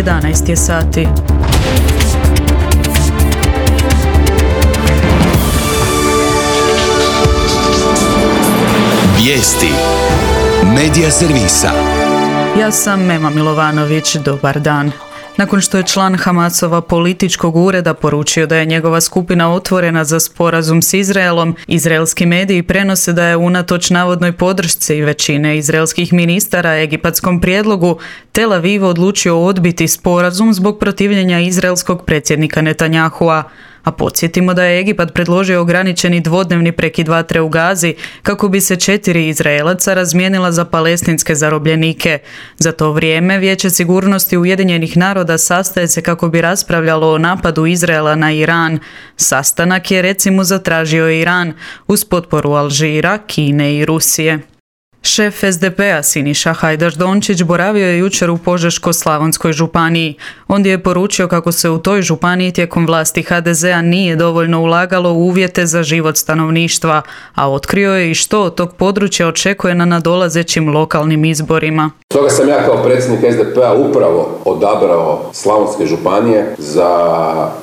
11 je sati. Vijesti Medija servisa. Ja sam Mema Milovanović, dobar dan. Nakon što je član Hamasova političkog ureda poručio da je njegova skupina otvorena za sporazum s Izraelom, izraelski mediji prenose da je unatoč navodnoj podršci većine izraelskih ministara egipatskom prijedlogu Tel Aviv odlučio odbiti sporazum zbog protivljenja izraelskog predsjednika Netanjahua. A podsjetimo da je Egipat predložio ograničeni dvodnevni prekid vatre u Gazi kako bi se 4 Izraelaca razmijenila za palestinske zarobljenike. Za to vrijeme Vijeće sigurnosti Ujedinjenih naroda sastaje se kako bi raspravljalo o napadu Izraela na Iran. Sastanak je recimo zatražio Iran uz potporu Alžira, Kine i Rusije. Šef SDP-a Siniša Hajdaš Dončić boravio je jučer u Požeško-slavonskoj županiji. Ondje je poručio kako se u toj županiji tijekom vlasti HDZ-a nije dovoljno ulagalo u uvjete za život stanovništva, a otkrio je i što od tog područja očekuje na nadolazećim lokalnim izborima. Stoga sam ja kao predsjednik SDP-a upravo odabrao Slavonske županije za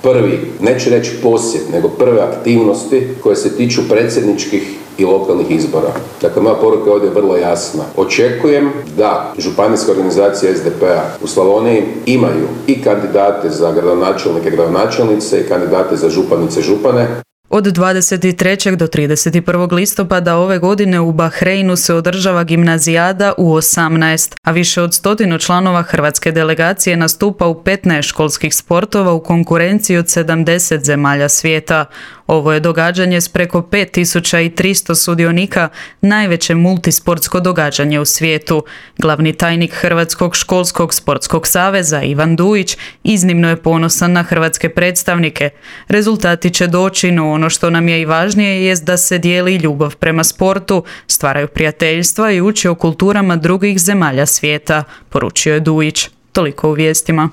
prvi, neću reći posjet, nego prve aktivnosti koje se tiču predsjedničkih i lokalnih izbora. Dakle, moja poruka ovdje je vrlo jasna. Očekujem da županijska organizacija SDP-a u Slavoniji imaju i kandidate za gradonačelnike, gradonačelnice i kandidate za županice, župane. Od 23. do 31. listopada ove godine u Bahreinu se održava gimnazijada u 18, a više od 100 članova hrvatske delegacije nastupa u 15 školskih sportova u konkurenciji od 70 zemalja svijeta. Ovo je događanje s preko 5300 sudionika, najveće multisportsko događanje u svijetu. Glavni tajnik Hrvatskog školskog sportskog saveza Ivan Dujić iznimno je ponosan na hrvatske predstavnike. Rezultati će doći, no ono što nam je i važnije jest da se dijeli ljubav prema sportu, stvaraju prijateljstva i uči o kulturama drugih zemalja svijeta, poručio je Dujić. Toliko u vijestima.